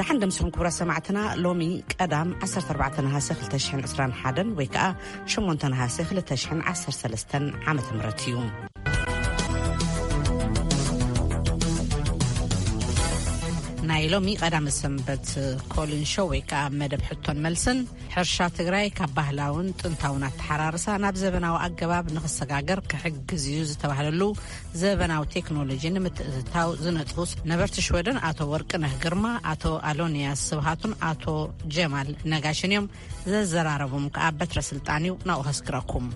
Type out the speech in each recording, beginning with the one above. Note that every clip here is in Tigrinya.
ሓንደ ምስኹም ክቡራት ሰማዕትና፣ ሎሚ ቀዳም ዓሰርተ ኣርባዕተ ነሃሰ ክልተ ሽሕን ዕስራን ሓደን ወይ ከዓ ሸሞንተ ነሃሰ ክልተ ሽሕን ዓሰርተ ሰለስተን ዓመተ ምህረት እዩ። ናይ ሎሚ ቀዳመ ሰንበት ኮሊን ሾው ወይ ከዓ መደብ ሕቶን መልስን፣ ሕርሻ ትግራይ ካብ ባህላውን ጥንታውን ኣተሓራርሳ ናብ ዘበናዊ ኣገባብ ንኽሰጋገር ክሕግዝ እዩ ዝተባህለሉ ዘበናዊ ቴክኖሎጂ ንምትእትታው ዝነጥፉ ነበርቲ ሽወደን ኣቶ ወርቅነህ ግርማ፣ ኣቶ ኣሎንያስ ስብሃቱን ኣቶ ጀማል ነጋሽን እዮም። ዘዘራረቡም ከዓ በትረ ስልጣን እዩ። ናብኡ ከስግረኩም።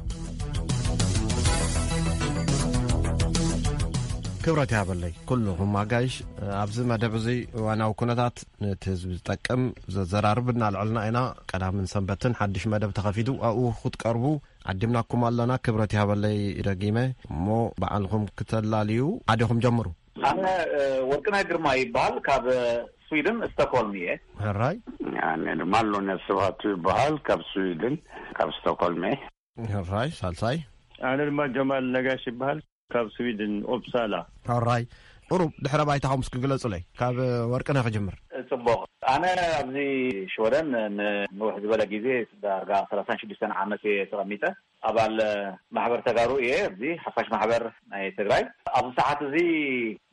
ክብረት ያበለይ ኩልኹም ኣጋይሽ። ኣብዚ መደብ እዚ እዋናዊ ኩነታት ነቲ ህዝቢ ዝጠቅም ዘዘራርብ እናልዕልና ኢና። ቀዳምን ሰንበትን ሓድሽ መደብ ተኸፊቱ ኣብኡ ክትቀርቡ ዓዲምናኩም ኣለና። ክብረት ይሃበለይ ደጊመ። እሞ በዓልኹም ክተላልዩ ዓዲኹም ጀምሩ። ኣነ፣ እ፣ ወርቅነህ ግርማ ይበሃል። ካብ፣ እ፣ ስዊድን ስቶክሆልም እየ። ሕራይ። ኣነ ድማ ኣሎንያስ ስብሃቱ ይበሃል። ካብ ስዊድን፣ ካብ ስቶክሆልም እየ። ሕራይ። ሳልሳይ። ኣነ ድማ ጀማል ነጋሽ ይበሃል። ካብ ስዊድን ኦፕሳላ። ሕራይ። ቁሩብ ድሕረ ባይታኹም እስኪ ግለጹለይ። ካብ ወርቅነህ ክጅምር። ጽቡቕ። ኣነ ኣብዚ ሽወደን ንንውሕ ዝበለ ግዜ፣ ዳርጋ ሰላሳን ሽዱሽተን ዓመት እየ ተቐሚጠ። ኣባል ማሕበር ተጋሩ እየ፣ ኣብዚ ሓፋሽ ማሕበር ናይ ትግራይ። ኣብዚ ሰዓት እዚ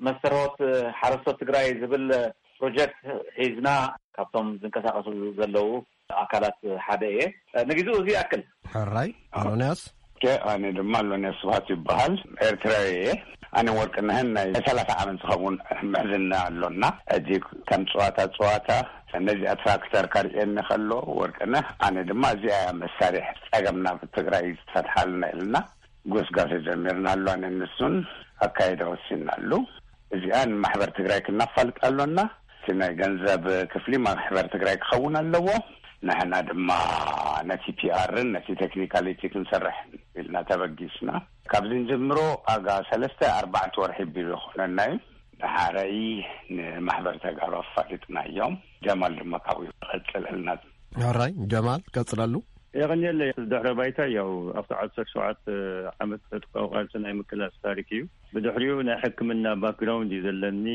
መስተርሆት ሓረስቶት ትግራይ ዝብል ፕሮጀክት ሒዝና ካብቶም ዝንቀሳቐሱ ዘለዉ ኣካላት ሓደ እየ። ንግዜኡ እዚ ይኣክል። ሕራይ። ኣሎንያስ። ኦኬ፣ ኣነ ድማ ኣሎንያስ ስብሃት ይበሃል። ኤርትራዊ እየ። ኣነ ወርቅነህን ናይ ሰላሳ ዓመት ዝኸውን ምሕዝና ኣሎና። ሕጂ ከም ጸዋታ ጸዋታ ነዚኣ ትራክተር ካርእየኒ ከሎ ወርቅነህ፣ ኣነ ድማ እዚኣ እያ መሳርሒ ጸገምና ትግራይ ዝፈትሓልና ኢልና ጎስጋሰ ጀሚርና ኣሎ። ኣነ ንሱን ኣካይዳ ወሲንናሉ። እዚኣ ንማሕበር ትግራይ ክናፋልጥ ኣሎና። እቲ ናይ ገንዘብ ክፍሊ ማሕበር ትግራይ ክኸውን ኣለዎ። ንሕና ድማ ነቲ ፒኣርን ነቲ ቴክኒካሊቲ ክንሰርሕ ኢልና ተበጊስና። ካብዚ ንጀምሮ ኣጋ ሰለስተ ኣርባዕተ ወርሒ ቢሉ ይኾነና እዩ። ንሓረይ ንማሕበር ተጋሩ ኣፋሊጥናዮም። ጀማል ድማ ካብኡ ይቐጽለልና። ሕራይ። ጀማል ቀጽለሉ። የቐንየለይ። ድሕረ ባይታ ያው ኣብቲ ዓሰርተ ሸውዓተ ዓመት ዕጥቃዊ ቃልሲ ናይ ምክላስ ታሪክ እዩ። ብድሕሪኡ ናይ ሕክምና ባክግራውንድ እዩ ዘለኒ።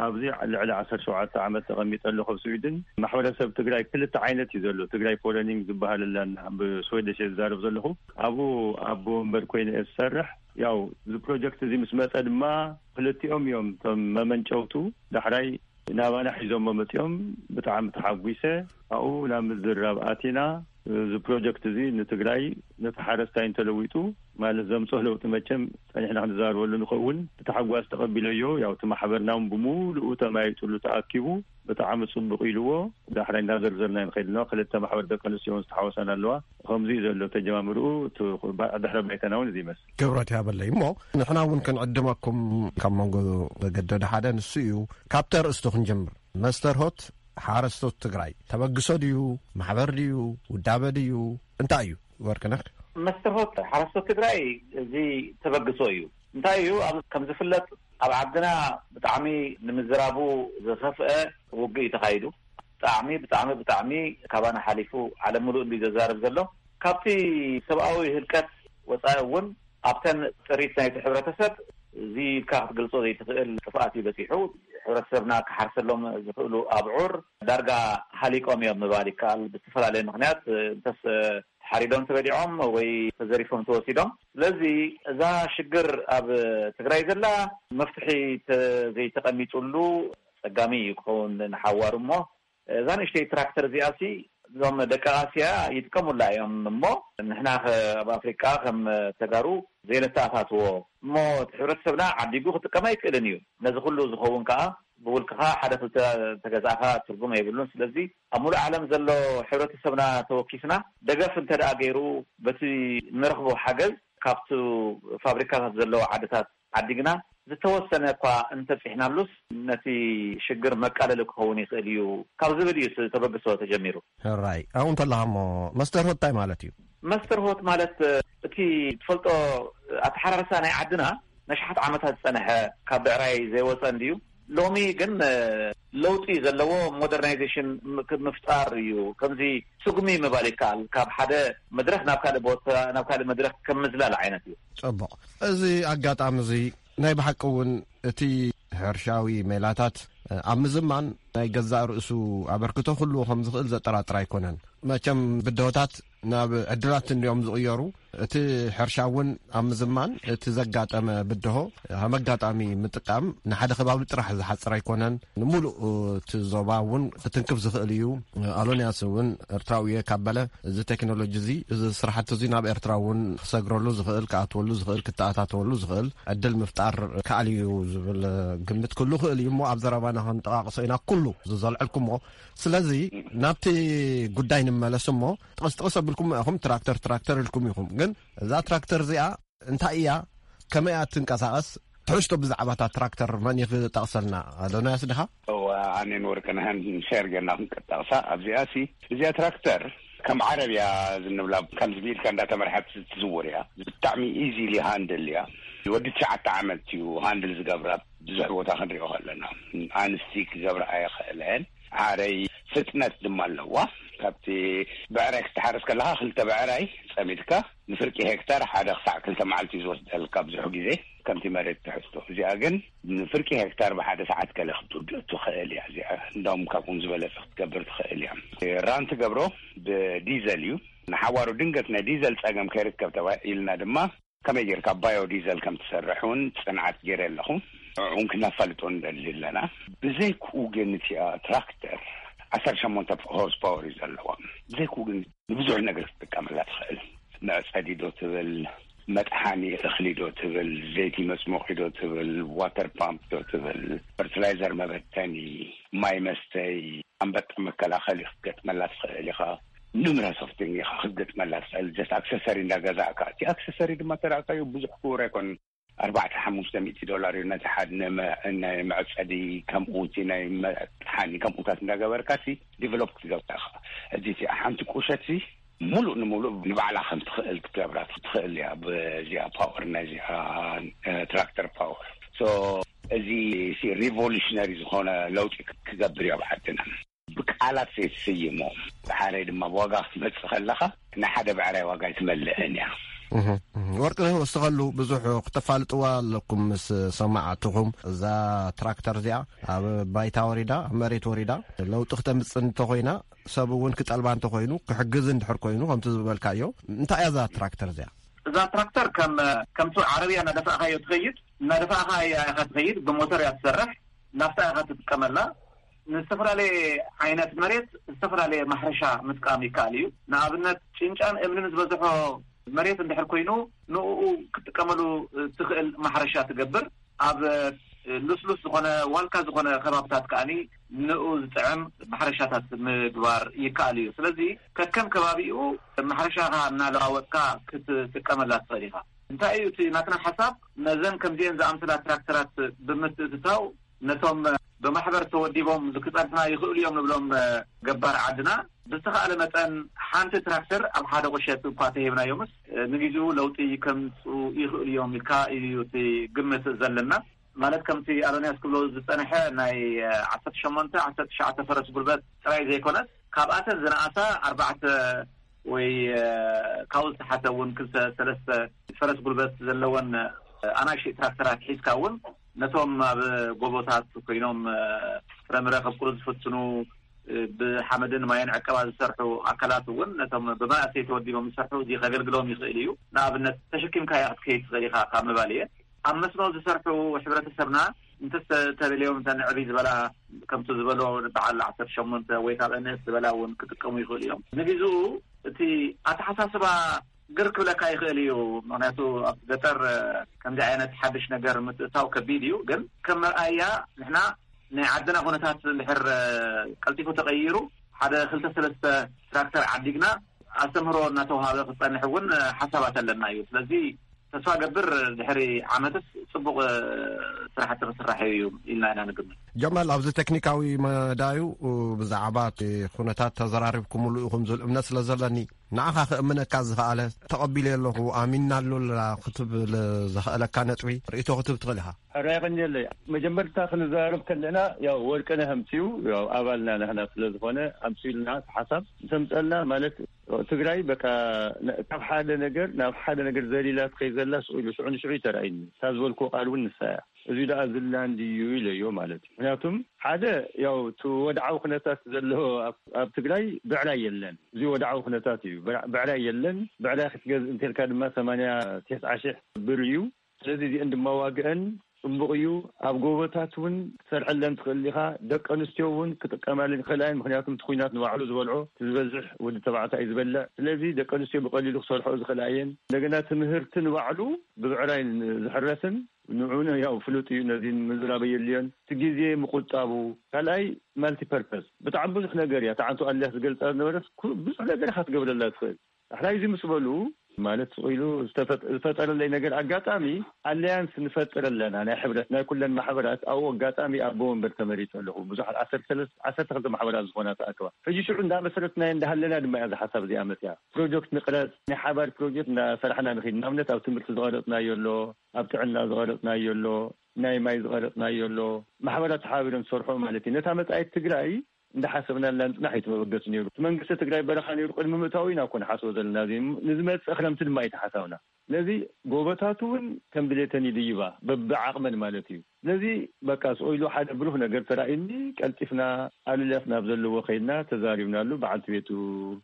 ኣብዚ ልዕሊ ዓሰርተ ሸውዓተ ዓመት ተቐሚጠ ኣለኹ ኣብ ስዊድን። ማሕበረሰብ ትግራይ ክልተ ዓይነት እዩ ዘሎ። ትግራይ ፎረኒንግ ዝበሃል ኣላና፣ ብስዌደሽ እየ ዝዛረብ ዘለኹ። ኣብኡ ኣቦ ወንበር ኮይነ እየ ዝሰርሕ። ያው እዚ ፕሮጀክት እዚ ምስ መፀ ድማ ክልቲኦም እዮም እቶም መመንጨውቱ። ዳሕራይ ናባና ሒዞሞ መፂኦም። ብጣዕሚ ተሓጒሰ። ኣብኡ ናብ ምዝርራብ ኣቲና። እዚ ፕሮጀክት እዚ ንትግራይ፣ ነቲ ሓረስታይ እንተለዊጡ ማለት ዘምፅኦ ለውጢ መቸም ፀኒሕና ክንዛረበሉ ንኸውን። ብታሕጓስ ተቐቢለዮ። ያው እቲ ማሕበርና እውን ብምሉኡ ተማይጡሉ ተኣኪቡ። ብጣዕሚ ጽቡቕ ኢልዎ። ዳሕራይ እንዳዘርዘርና ንኸይድ ኣለዋ። ክልተ ማሕበር ደቂ ኣንስትዮ እውን ዝተሓወሳን ኣለዋ። ከምዚ እዩ ዘሎ ተጀማምርኡ። እቲ ባ-፣ ድሕረ ባይታና እውን እዚ ይመስል። ክብረት ያበለይ። እሞ ንሕና እውን ክንዕድመኩም ካብ መንጎ ዘገደደ ሓደ ንሱ እዩ። ካብቲ ኣርእስቱ ክንጀምር። መስተርሆት ሓረስቶት ትግራይ ተበግሶ ድዩ? ማሕበር ድዩ? ውዳበ ድዩ? እንታይ እዩ? ወርቅነህ። መስተርሆት ሓረስቶት ትግራይ እዚ ተበግሶ እዩ። እንታይ እዩ? ኣብ፣ ከም ዝፍለጥ ኣብ ዓድና ብጣዕሚ ንምዝራቡ ዝኸፍአ ውግእ እዩ ተኻይዱ። ብጣዕሚ፣ ብጣዕሚ፣ ብጣዕሚ ካባና ሓሊፉ ዓለም ምሉእ እንዲ ዘዛርብ ዘሎ። ካብቲ ሰብኣዊ ህልቀት ወፃኢ እውን ኣብተን ጥሪት ናይቲ ሕብረተሰብ እዚ ኢልካ ክትገልጾ ዘይትኽእል ጥፍኣት እዩ በፂሑ። ሕብረተሰብና ክሓርሰሎም ዝኽእሉ ኣብዑር ዳርጋ ሃሊቆም እዮም ምባል ይከኣል። ብዝተፈላለየ ምኽንያት እንተስ ተሓሪዶም ተበሊዖም ወይ ተዘሪፎም ተወሲዶም። ስለዚ እዛ ሽግር ኣብ ትግራይ ዘላ መፍትሒ ተ-፣ ዘይተቐሚጡሉ ጸጋሚ እዩ ክኸውን ንሓዋሩ። እሞ እዛ ንእሽተይ ትራክተር እዚኣሲ እዞም ደቂ ኣስያ ይጥቀሙላ እዮም። እሞ ንሕና ከ ኣብ ኣፍሪቃ ከም ተጋሩ ዘይነተኣታትዎ? እሞ እቲ ሕብረተሰብና ዓዲጉ ክጥቀም ኣይክእልን እዩ። ነዚ ኩሉ ዝኸውን ከኣ ብውልቅኻ ሓደ ክልተ ተገዛእኻ ትርጉም የብሉን። ስለዚ ኣብ ሙሉእ ዓለም ዘሎ ሕብረተሰብና ተወኪስና ደገፍ እንተ ደኣ ገይሩ በቲ ንረኽቦ ሓገዝ ካብቲ ፋብሪካታት ዘለዎ ዓድታት ዓዲግና ዝተወሰነ እኳ እንተብፂሕናሉስ ነቲ ሽግር መቃለሊ ክኸውን ይኽእል እዩ ካብ ዝብል እዩ እቲ ተበግሶ ተጀሚሩ። ሕራይ። ኣብኡ እንተለኻ እሞ መስተርሆት እንታይ ማለት እዩ? መስተርሆት ማለት እቲ ትፈልጦ ኣተሓራርሳ ናይ ዓድና ነሽሓት ዓመታት ዝጸንሐ ካብ ብዕራይ ዘይወጸ እንድዩ። ሎሚ ግን ለውጢ ዘለዎ ሞደርናይዜሽን ም-፣ ምፍጣር እዩ። ከምዚ ስጉሚ ምባል ይከኣል። ካብ ሓደ መድረኽ ናብ ካልእ ቦታ፣ ናብ ካልእ መድረኽ ከም ምዝላል ዓይነት እዩ። ጽቡቕ። እዚ ኣጋጣሚ እዚ ናይ ብሓቂ እውን እቲ ሕርሻዊ ሜላታት ኣብ ምዝማን ናይ ገዛእ ርእሱ ኣበርክቶ ክህልዎ ከም ዝኽእል ዘጠራጥር ኣይኮነን። መቸም ብድሆታት ናብ ዕድላት እንዲዮም ዝቕየሩ። እቲ ሕርሻ እውን ኣብ ምዝማን እቲ ዘጋጠመ ብድሆ ከም ኣጋጣሚ ምጥቃም ንሓደ ከባቢ ጥራሕ ዝሓጽር ኣይኮነን። ንምሉእ እቲ ዞባ እውን ክትንክፍ ዝኽእል እዩ። ኣሎንያስ እውን ኤርትራዊ እየ ካብ በለ፣ እዚ ቴክኖሎጂ እዚ፣ እዚ ስራሕቲ እዚ ናብ ኤርትራ እውን ክሰግረሉ ዝኽእል፣ ክኣትወሉ ዝኽእል፣ ክተኣታተወሉ ዝኽእል ዕድል ምፍጣር ከኣል እዩ ዝብል ግምት ክህሉ ክእል እዩ። እሞ ኣብ ዘረባና ክንጠቃቅሶ ኢና ኩሉ ዝዘልዐልኩሞ። ስለዚ ናብቲ ጉዳይ ንመለስ እሞ፣ ጥቕስ ጥቕስ ኣቢልኩም ኢኹም፣ ትራክተር ትራክተር ኢልኩም ኢኹም። ግን እዛ ትራክተር እዚኣ እንታይ እያ? ከመይ እያ ትንቀሳቐስ? ትሕዝቶ ብዛዕባ እታ ትራክተር መን እዩ ክጠቕሰልና? ኣዶናያስ ድኻ? እዋ፣ ኣነን ወርቅነህን ሸር ጌርና ክንቀጣቕሳ ኣብዚኣ ሲ። እዚኣ ትራክተር ከም ዓረብያ ዝንብላ፣ ከምዚ ኢልካ እንዳተመርሐት ትዝውር እያ። ብጣዕሚ ኢዚሊ ሃንድል እያ። ወዲ ትሽዓተ ዓመት እዩ ሃንድል ዝገብራ። ብዙሕ ቦታ ክንሪኦ ከለና፣ ኣንስቲ ክገብራ ኣይኽእለን። ዓረይ ፍጥነት ድማ ኣለዋ። ካብቲ ብዕራይ ክትሓርስ ከለኻ፣ ክልተ ብዕራይ ጸሚድካ ንፍርቂ ሄክታር ሓደ ክሳዕ ክልተ መዓልቲ እዩ ዝወስደልካ ብዙሕ ግዜ፣ ከምቲ መሬት ትሕዝቶ። እዚኣ ግን ንፍርቂ ሄክታር ብሓደ ሰዓት ገለ ክትውድእ ትኽእል እያ። እዚኣ እንዳውም ካብኡን ዝበለጸ ክትገብር ትኽእል እያ። ራን ትገብሮ ብዲዘል እዩ። ንሓዋሩ ድንገት ናይ ዲዘል ጸገም ከይርከብ ተባሂልና ድማ ከመይ ጌርካ ባዮ ዲዘል ከም ትሰርሕ እውን ጽንዓት ገይረ ኣለኹ። ንዕኡ እውን ክነፋልጦ ንደሊ ኣለና። ብዘይክኡ ግን እቲኣ ትራክተር ዓሰርተ ሸሞንተ ሆርስ ፓወር እዩ ዘለዋ። ብዘይክኡ ግን ንብዙሕ ነገር ክትጥቀመላ ትኽእል። መዕጸዲ ዶ ትብል፣ መጥሓኒ እኽሊ ዶ ትብል፣ ዘይቲ መጽሞቒ ዶ ትብል፣ ዋተር ፓምፕ ዶ ትብል፣ ፈርቲላይዘር መበተኒ፣ ማይ መስተይ፣ ኣንበጣ መከላኸሊ ክትገጥመላ ትኽእል ኢኻ። ኑምረስ ኦፍ ቲንግ ኢኻ ክትገጥመላ ትኽእል። ጀስት ኣክሰሰሪ እንዳገዛእካ፣ እቲ ኣክሰሰሪ ድማ ተራእካዮ ብዙሕ ክቡር ኣይኮን። ኣርባዕተ ሓሙሽተ ሚእቲ ዶላር እዩ ነቲ ሓደ ንመ-፣ ናይ መዕጸዲ፣ ከምኡ እቲ ናይ መጥሓኒ ከምኡታት እንዳገበርካ ሲ ዲቨሎፕ ክትገብራ ኢኻ። እዚ እቲ ሓንቲ ቁሸት ሲ ሙሉእ ንሙሉእ ንባዕላ ከም ትኽእል ክትገብራ ትኽእል እያ። ብዚኣ ፓወር፣ ናይዚኣ፣ እ፣ ትራክተር ፓወር። ሶ እዚ ሲ ሪቮሉሽነሪ ዝኾነ ለውጢ ክ-፣ ክገብር እዩ ኣብ ዓድና። ብቃላት ዘይትስይሞ፣ ብሓረይ ድማ ብዋጋ ክትመጽእ ከለኻ፣ ናይ ሓደ ብዕራይ ዋጋ ኣይትመልእን እያ። እህ፣ እህ። ወርቅነህ ወስኸሉ፣ ብዙሕ ክተፋልጥዋ ኣለኩም ምስ ሰማዕትኹም። እዛ ትራክተር እዚኣ ኣብ ባይታ ወሪዳ፣ ኣብ መሬት ወሪዳ፣ ለውጢ ክተምጽእ እንተኾይና፣ ሰብ እውን ክጠልባ እንተኾይኑ፣ ክሕግዝ እንድሕር ኮይኑ፣ ከምቲ ዝበልካዮ፣ እንታይ እያ እዛ ትራክተር እዚኣ? እዛ ትራክተር ከም፣ ከምቲ ዓረብያ እናደፋእካዮ ትኸይድ፣ እናደፋእካ እያ ኢኻ ትኸይድ፣ ብሞተር እያ ትሰርሕ፣ ናፍታ ኢኻ ትጥቀመላ። ንዝተፈላለየ ዓይነት መሬት ዝተፈላለየ ማሕረሻ ምጥቃም ይከኣል እዩ። ንኣብነት፣ ጭንጫን እምንን ዝበዝሖ መሬት እንድሕር ኮይኑ፣ ንኡ ክትጥቀመሉ ትኽእል ማሕረሻ ትገብር። ኣብ ልስሉስ ዝኾነ፣ ዋልካ ዝኾነ ከባብታት ከኣኒ ንኡ ዝጥዕም ማሕረሻታት ምግባር ይከኣል እዩ። ስለዚ ከከም ከባቢኡ ማሕረሻኻ እናለዋወጥካ ክትጥቀመላ ትኽእል ኢኻ። እንታይ እዩ እቲ ናትና ሓሳብ? ነዘን ከምዚአን ዝኣምሰላ ትራክተራት ብምትእትታው፣ ነቶም ብማሕበር ተወዲቦም ክጸንሑና ይኽእሉ እዮም ንብሎም ገባር ዓድና፣ ብዝተኻእለ መጠን ሓንቲ ትራክተር ኣብ ሓደ ቁሸት እኳ ተሂብናዮምስ፣ ንግዜኡ ለውጢ ከምጽኡ ይኽእሉ እዮም ኢልካ እዩ እቲ ግምት ዘለና። ማለት ከምቲ ኣዶንያስ ክብሎ ዝጸንሐ፣ ናይ ዓሰርተ ሸሞንተ ዓሰርተ ትሽዓተ ፈረስ ጉልበት ጥራይ ዘይኮነስ፣ ካብኣተን ዝነኣሳ ኣርባዕተ ወይ፣ እ፣ ካብኡ ዝተሓተ እውን ክልተ ሰለስተ ፈረስ ጉልበት ዘለወን፣ እ፣ ኣናእሽተይ ትራክተራት ሒዝካ እውን ነቶም ኣብ ጎቦታት ኮይኖም፣ እ፣ ፍረምረ ከብቁሉ ዝፍትኑ፣ እ፣ ብሓመድን ማይን ዕቀባ ዝሰርሑ ኣካላት እውን ነቶም ብመናእሰይ ተወዲቦም ዝሰርሑ እዚ ከገልግሎም ይኽእል እዩ። ንኣብነት ተሸኪምካያ ክትከይድ ትኽእል ኢኻ ካብ ምባል እየ። ኣብ መስኖ ዝሰርሑ ሕብረተሰብና እንተስ ተደልዮም እተን ዕብይ ዝበላ፣ ከምቲ ዝበሎ በዓል ዓሰርተ ሸሞንተ ወይ ካብ ንእስ ዝበላ እውን ክጥቀሙ ይኽእሉ እዮም። ንግዜኡ እቲ ኣተሓሳስባ ግር ክብለካ ይኽእል እዩ። ምኽንያቱ ኣብ ገጠር ከምዚ ዓይነት ሓድሽ ነገር ምትእታው ከቢድ እዩ። ግን ከም መርኣያ ንሕና ናይ ዓድና ኩነታት እንድሕር ቀልጢፉ ተቐይሩ ሓደ ክልተ ሰለስተ ትራክተር ዓዲግና ኣስተምህሮ እናተውሃበ ክጸንሕ እውን ሓሳባት ኣለና እዩ። ስለዚ ተስፋ ገብር ድሕሪ ዓመትስ ጽቡቕ ስራሕቲ ክስራሕ እዩ ኢልና ኢና ንግምት። ጀማል፣ ኣብዚ ቴክኒካዊ መዳዩ ብዛዕባ እቲ ኩነታት ተዘራሪብኩምሉ ኢኹም ዝብል እምነት ስለ ዘለኒ፣ ንዓኻ ክእምነካ ዝኸኣለ፣ ተቐቢለ ኣለኹ፣ ኣሚንና ኣሎ ክትብል ዘኸእለካ ነጥቢ ርእይቶ ክትህብ ትኽእል ኢኻ። ሕራይ ኸንየለይ። መጀመርታ ክንዘራረብ ከለና፣ ያው ወርቅነህ ኣምፅኡ፣ ያው ኣባልና ንሕና ስለ ዝኾነ ኣምፅኡልና እቲ ሓሳብ ምስ ኣምፀልና፣ ማለት ትግራይ በቃ ነ-፣ ካብ ሓደ ነገር ናብ ሓደ ነገር ዘሊላ ትኸይድ ዘላ ስቕ ኢሉ ሽዑ ንሽዑ እዩ ተራእዩኒ። እታ ዝበልኩዎ ቃል እውን ንሳ እያ። እዚ ደኣ ዝላን ድዩ ኢለዮ ማለት እዩ። ምክንያቱም ሓደ ያው እቲ ወድዓዊ ኩነታት ዘሎ ኣብ ትግራይ ብዕራይ የለን። እዚ ወድዓዊ ኩነታት እዩ። ብዕራይ የለን። ብዕራይ ክትገዝእ እንተልካ ድማ ሰማንያ ተስዓ ሽሕ ብር እዩ። ስለዚ እዚአን ድማ ዋግአን ፅቡቕ እዩ። ኣብ ጎቦታት እውን ክትሰርሐለን ትኽእል ኢኻ። ደቂ ኣንስትዮ እውን ክጥቀማለን ይኽእላ እየን። ምክንያቱም እቲ ኩናት ንባዕሉ ዝበልዖ እቲ ዝበዝሕ ወዲ ተባዕታይ እዩ ዝበልዕ። ስለዚ ደቂ ኣንስትዮ ብቐሊሉ ክሰርሖ ዝኽእላ እየን። እንደገና ትምህርቲ ንባዕሉ ብብዕራይ ዝሕረስን ንዑነ ያው ፍሉጥ እዩ። ነዚ ምዝራብ የድልዮን እቲ ግዜ ምቁጣቡ። ካልኣይ ማልቲፐርፐስ ብጣዕሚ ብዙሕ ነገር እያ። ተዓንቱ ኣልያስ ዝገልፃ ዝነበረት ብዙሕ ነገር ኢኻ ትገብረላ ትኽእል። ዳሕራይ እዚ ምስ በሉ ማለት ስቕ ኢሉ ዝፈጠረለይ ነገር ኣጋጣሚ ኣለያንስ ንፈጥር ኣለና ናይ ሕብረት ናይ ኩለን ማሕበራት ኣብኡ ኣጋጣሚ ኣቦ ወንበር ተመሪፀ ኣለኹ። ብዙሓት ዓሰርተ ክልተ ማሕበራት ዝኾና ተኣክባ ሕጂ ሽዑ እንዳመሰረትናዮ እንዳሃለና ድማ እያ ዝሓሳብ እዚኣ መፅያ። ፕሮጀክት ንቅረፅ ናይ ሓባር ፕሮጀክት እንዳሰራሕና ንኽድ። ንኣብነት ኣብ ትምህርቲ ዝቐረፅናዮ ኣሎ፣ ኣብ ጥዕና ዝቐረፅናዮ ኣሎ፣ ናይ ማይ ዝቐረፅናዮ ኣሎ። ማሕበራት ተሓባቢሮም ዝሰርሖ ማለት እዩ። ነታ መፃኢት ትግራይ እንዳሓሰብናላ ምፅናሕ እዩ እቲ መበገሲ ነይሩ። እቲ መንግስቲ ትግራይ በረኻ ነይሩ ቅድሚ ምእታው ኢና እኮ ንሓስቦ ዘለና። እዚ ንዝመፅእ ክረምቲ ድማ እዩ ተሓሳብና። ስለዚ ጎቦታት እውን ከም ድሌተን ይድይባ በብዓቕመን ማለት እዩ። ስለዚ በቃ ስቕ ኢሉ ሓደ ብሩህ ነገር ተራእዩኒ ቀልጢፍና ኣሉላስ ናብ ዘለዎ ከይድና ተዛሪብናሉ። በዓልቲ ቤቱ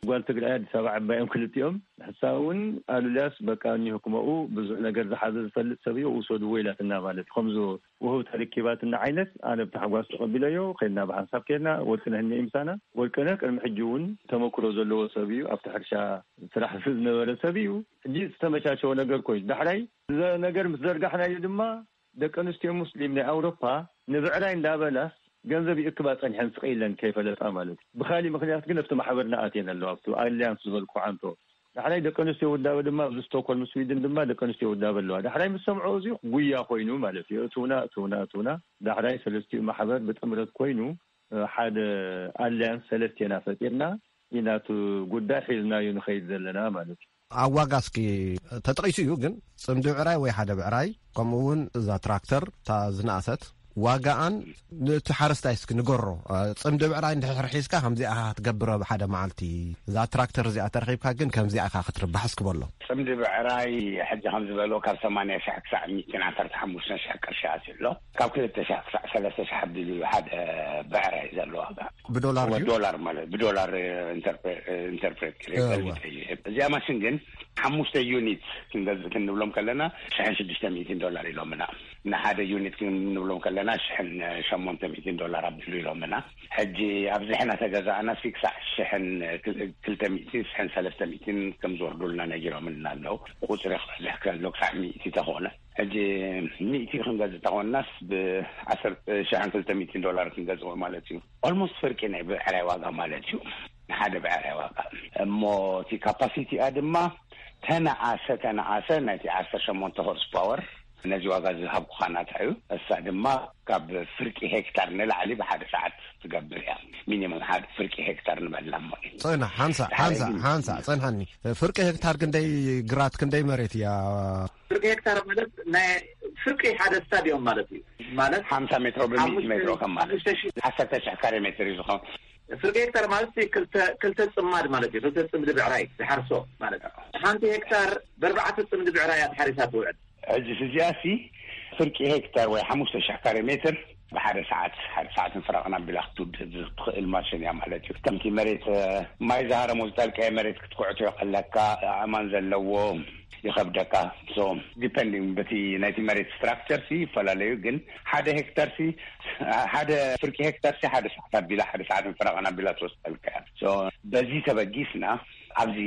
ጓል ትግራይ ኣዲስ ኣበባ ዕባዮም ክልቲኦም ንሕሳ እውን ኣሉላስ በቃ እኒሆ ክመኡ ብዙሕ ነገር ዝሓዘ ዝፈልጥ ሰብ እዩ ውሰድዎ ኢላትና ማለት እዩ። ከምዚ ውህብቶ ርኪባትና ዓይነት ኣነ ብታሕጓስ ተቐቢለዮ። ከድና ብሓንሳብ ከድና ወርቅነህ እኒአ ምሳና። ወርቅነህ ቅድሚ ሕጂ እውን ተመክሮ ዘለዎ ሰብ እዩ። ኣብቲ ሕርሻ ስራሕ ዝነበረ ሰብ እዩ። ሕጂ ዝተመቻቸወ ነገር ኮይኑ ዳሕራይ እዚ ነገር ምስ ዘርጋሕናዮ ድማ ደቂ ኣንስትዮ ሙስሊም ናይ ኣውሮፓ ንብዕራይ እንዳበላስ ገንዘብ ይእክባ ጸኒሐን ስቕ ኢለን ከይፈለጣ ማለት እዩ። ብኻሊእ ምክንያት ግን ኣብቲ ማሕበርና ኣትየን ኣለዋ ኣብቲ ኣሊያንስ ዝበልኩ ዓንቶ። ዳሕራይ ደቂ ኣንስትዮ ውዳበ ድማ ኣብዚ ስቶኮልም ስዊድን ድማ ደቂ ኣንስትዮ ውዳበ ኣለዋ። ዳሕራይ ምስ ሰምዖ እዚ ጉያ ኮይኑ ማለት እዩ። እትውና እትውና እትውና ዳሕራይ ሰለስቲኡ ማሕበር ብጥምረት ኮይኑ ሓደ ኣሊያንስ ሰለስቴና ፈጢርና ኢና እቲ ጉዳይ ሒዝናዮ ንኸይድ ዘለና ማለት እዩ። ኣብ ዋጋ እስኪ ተጠቒሱ እዩ ግን ጽምዲ ብዕራይ ወይ ሓደ ብዕራይ ከምኡ እውን እዛ ትራክተር እታ ዝነኣሰት ዋጋኣን ነቲ ሓረስታይ እስኪ ንገሮ። ጽምዲ ብዕራይ እንድሕር ሒዝካ ከምዚኣ ኢኻ ክትገብሮ ብሓደ መዓልቲ፣ እዛ ትራክተር እዚኣ ተረኺብካ ግን ከምዚኣ ኢኻ ክትርባሕ እስኪ በሎ። ጽምዲ ብዕራይ ሕጂ ከም ዝበሎ ካብ ሰማንያ ሺሕ ክሳዕ ሚእትን ዓሰርተ ሓሙሽተ ሺሕ ቅርሺ ኣትዩ ኣሎ። ካብ ክልተ ሺሕ ክሳዕ ሰለስተ ሺሕ ኣቢሉ እዩ ሓደ ብዕራይ ዘሎ ዋጋ። ብዶላር ድዩ? ዶላር ማለት ብዶላር ኢንተርፕሬት ገይረ እዋ። ገልቢጠ ይህብ። እዚኣ ማሽን ግን ሓሙሽተ ዩኒት ክንገዝእ ክንብሎም ከለና ሽሕን ሽዱሽተ ሚእትን ዶላር ኢሎምና። ንሓደ ዩኒት ክንብሎም ከለና ሽሕን ሸሞንተ ሚእትን ዶላር ኣቢሉ ኢሎምና። ሕጂ ኣብዚሕና ተገዛእና ሲ ክሳዕ ሽሕን ክልተ ሚእትን ሽሕን ሰለስተ ሚእትን ከም ዝወርዱልና ነጊሮምና ኣለዉ። ቁፅሪ ክበዝሕ ከሎ ክሳዕ ሚእቲ ተኾነ። ሕጂ ሚእቲ ክንገዝእ ተኾንናስ ብዓሰርተ ሽሕን ክልተ ሚእትን ዶላር ክንገዝኦ ማለት እዩ። ኦልሞስት ፍርቂ ናይ ብዕራይ ዋጋ ማለት እዩ። ንሓደ ብዕራይ ዋጋ። እሞ እቲ ካፓሲቲኣ ድማ ተነኣሰ ተነኣሰ ናይቲ ዓሰርተ ሸሞንተ ሆርስ ፓወር ነዚ ዋጋ ዝሃብኩኻ ናታ እዩ። እሳ ድማ ካብ ፍርቂ ሄክታር ንላዕሊ ብሓደ ሰዓት ትገብር እያ። ሚኒመም ሓደ ፍርቂ ሄክታር ንበላ እሞ። ጽንሕ፣ ሓንሳእ፣ ሓደ ሓንሳእ፣ ግን ሓንሳእ፣ ጽንሐኒ። ፍርቂ ሄክታር ክንደይ ግራት፣ ክንደይ መሬት እያ? ፍርቂ ሄክታር ማለት ናይ ፍርቂ ሓደ ስታዲዮም ማለት እዩ። ማለት ሓምሳ ሜትሮ ብሚእቲ ሓሙሽተ ሜትሮ ከም ማለት ሓሙሽተ ሺህ ዓሰርተ ሺሕ ካሬ ሜትር እዩ ዝኸውን። ፍርቂ ሄክታር ማለት ክልተ፣ ክልተ ጽማድ ማለት እዩ። ክልተ ጽምዲ ብዕራይ ዝሓርሶ ማለት እዩ። ሓንቲ ሄክታር ብኣርባዕተ ጽምዲ ብዕራይ እያ ተሓሪሳ ትውዕል። ሕጂ እዚኣ ሲ ፍርቂ ሄክታር ወይ ሓሙሽተ ሺሕ ካሬ ሜትር ብሓደ ሰዓት፣ ሓደ ሰዓትን ፍረቕን ኣቢላ ክትውድእ ትኽእል ማሽን እያ ማለት እዩ። ከምቲ መሬት፣ እ፣ ማይ ዝሃረሞ ዝጠልቀየ መሬት ክትኩዕቶ ይቐለካ፣ ኣእማን ዘለዎ ይኸብደካ። ሶ ዲፐንዲንግ በቲ ናይቲ መሬት ስትራክቸር ሲ ይፈላለዩ፣ ግን ሓደ ሄክታር ሲ፣ ሓደ ፍርቂ ሄክታር ሲ ሓደ ሰዓት ኣቢላ፣ ሓደ ሰዓትን ፍረቕን ኣቢላ ትወስደልካ እያ። ሶ በዚ ተበጊስና ኣብዚ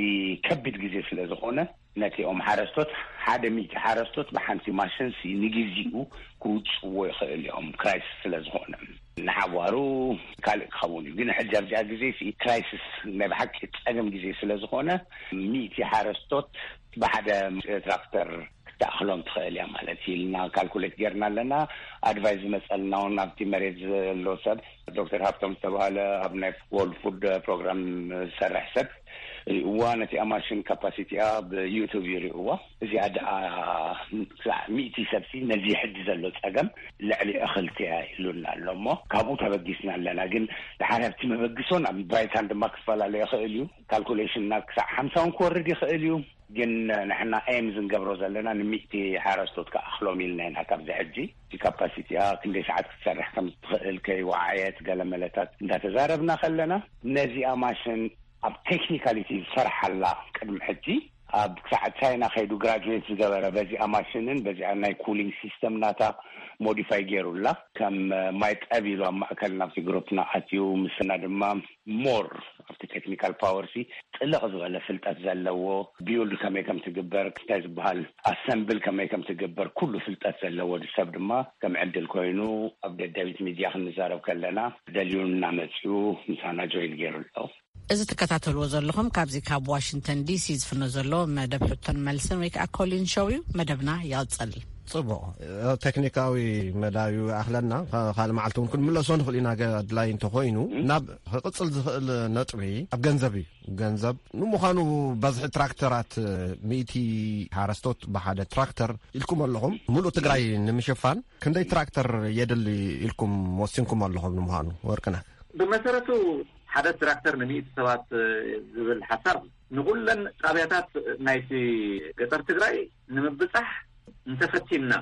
ከቢድ ግዜ ስለ ዝኾነ ነቲኦም ሓረስቶት፣ ሓደ ሚእቲ ሓረስቶት ብሓንቲ ማሽንሲ ንግዜኡ ክውፅዎ ይኽእል እዮም፣ ክራይሲስ ስለ ዝኾነ። ንሓዋሩ ካልእ ክኸውን እዩ። ግን ሕጂ ኣብዚኣ ግዜሲ ክራይሲስ ናይ ብሓቂ ጸገም ግዜ ስለ ዝኾነ፣ ሚእቲ ሓረስቶት ብሓደ ትራክተር ክትኣኽሎም ትኽእል እያ ማለት እዩ ኢልና ካልኩሌት ጌርና ኣለና። ኣድቫይስ ዝመጸልና እውን ኣብቲ መሬት ዘሎ ሰብ ዶክተር ሃብቶም ዝተባህለ ኣብ ናይ ወርልድ ፉድ ፕሮግራም ዝሰርሕ ሰብ ሪእዋ፣ ነቲኣ ማሽን ካፓሲቲኣ ብዩቱብ እዩ ሪእዋ። እዚኣ ደኣ ክሳዕ ሚእቲ ሰብሲ ነዚ ሕጂ ዘሎ ጸገም ልዕሊ እኽልቲ እያ ኢሉና ኣሎ እሞ ካብኡ ተበጊስና ኣለና። ግን ደሓር ኣብቲ መበግሶን ኣብ ብራይታን ድማ ክፈላለ ይኽእል እዩ። ካልኩሌሽንና ክሳዕ ሓምሳ እውን ክወርድ ይኽእል እዩ። ግን ንሕና ኤም ዝንገብሮ ዘለና ንሚእቲ ሓረስቶት ክኣኽሎም ኢልና ኢና። ካብዚ ሕጂ እቲ ካፓሲቲኣ ክንደይ ሰዓት ክትሰርሕ ከም ትኽእል ከይወዓየት ገለ መለታት እንዳተዛረብና ከለና፣ ነዚኣ ማሽን ኣብ ቴክኒካሊቲ ዝሰርሓላ ቅድሚ ሕጂ ኣብ ክሳዕ ቻይና ከይዱ ግራጁዌት ዝገበረ በዚኣ ማሽንን በዚኣ ናይ ኩሊንግ ሲስተም ናታ ሞዲፋይ ገይሩላ ከም ማይ ጠብ ኢሉ ኣብ ማእከል ናብቲ ግሩፕና ኣትዩ ምስና ድማ ሞር ኣብቲ ቴክኒካል ፓወር ሲ ጥልቕ ዝበለ ፍልጠት ዘለዎ ቢውልድ ከመይ ከም ትግበር እንታይ ዝበሃል ኣሰምብል ከመይ ከም ትግበር ኩሉ ፍልጠት ዘለዎ ሰብ ድማ ከም ዕድል ኮይኑ ኣብ ደደቢት ሚድያ ክንዛረብ ከለና ደልዩና መፅኡ ምሳና ጆይን ገይሩ ኣሎ። እዚ ትከታተልዎ ዘለኹም ካብዚ ካብ ዋሽንግተን ዲሲ ዝፍኖ ዘሎ መደብ ሕቶን መልስን ወይ ከዓ ኮሊን ሾው እዩ። መደብና ይቕፅል። ጽቡቕ። ቴክኒካዊ መዳዩ ኣኽለና ካልእ መዓልቲ እውን ክንምለሶ ንኽእል ኢና። ኣድላይ እንተኾይኑ ናብ ክቕጽል ዝኽእል ነጥቢ ኣብ ገንዘብ እዩ። ገንዘብ ንምዃኑ በዝሒ ትራክተራት ሚእቲ ሓረስቶት ብሓደ ትራክተር ኢልኩም ኣለኹም። ሙሉእ ትግራይ ንምሽፋን ክንደይ ትራክተር የድሊ ኢልኩም ወሲንኩም ኣለኹም? ንምዃኑ ወርቅነህ ብመሰረቱ ሓደ ትራክተር ንሚእቲ ሰባት ዝብል ሓሳብ ንኹለን ጣብያታት ናይቲ ገጠር ትግራይ ንምብፃሕ እንተፈቲንና